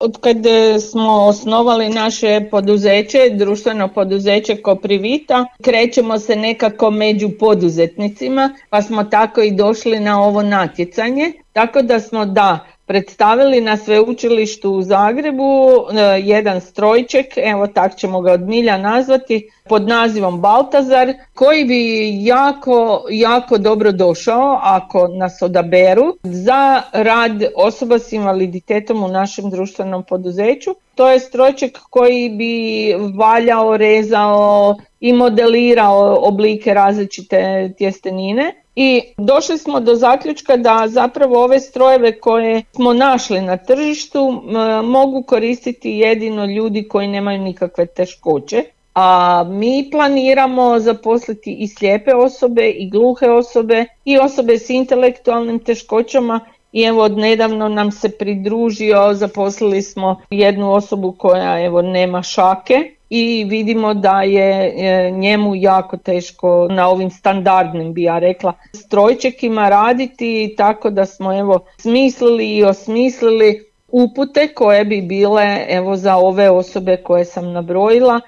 Od kad smo osnovali naše poduzeće, društveno poduzeće Koprivita, krećemo se nekako među poduzetnicima, pa smo tako i došli na ovo natjecanje. Tako da smo predstavili na sveučilištu u Zagrebu jedan strojček, evo tak ćemo ga od milja nazvati, pod nazivom Baltazar, koji bi jako dobro došao ako nas odaberu za rad osoba s invaliditetom u našem društvenom poduzeću. To je strojček koji bi valjao, rezao i modelirao oblike različite tjestenine. I došli smo do zaključka da zapravo ove strojeve koje smo našli na tržištu mogu koristiti jedino ljudi koji nemaju nikakve teškoće. A mi planiramo zaposliti i slijepe osobe i gluhe osobe i osobe s intelektualnim teškoćama. I evo odnedavno nam se pridružio, zaposlili smo jednu osobu koja nema šake. I vidimo da je njemu jako teško na ovim standardnim, bi ja rekla, strojčekima raditi, tako da smo smislili i osmislili upute koje bi bile za ove osobe koje sam nabrojila,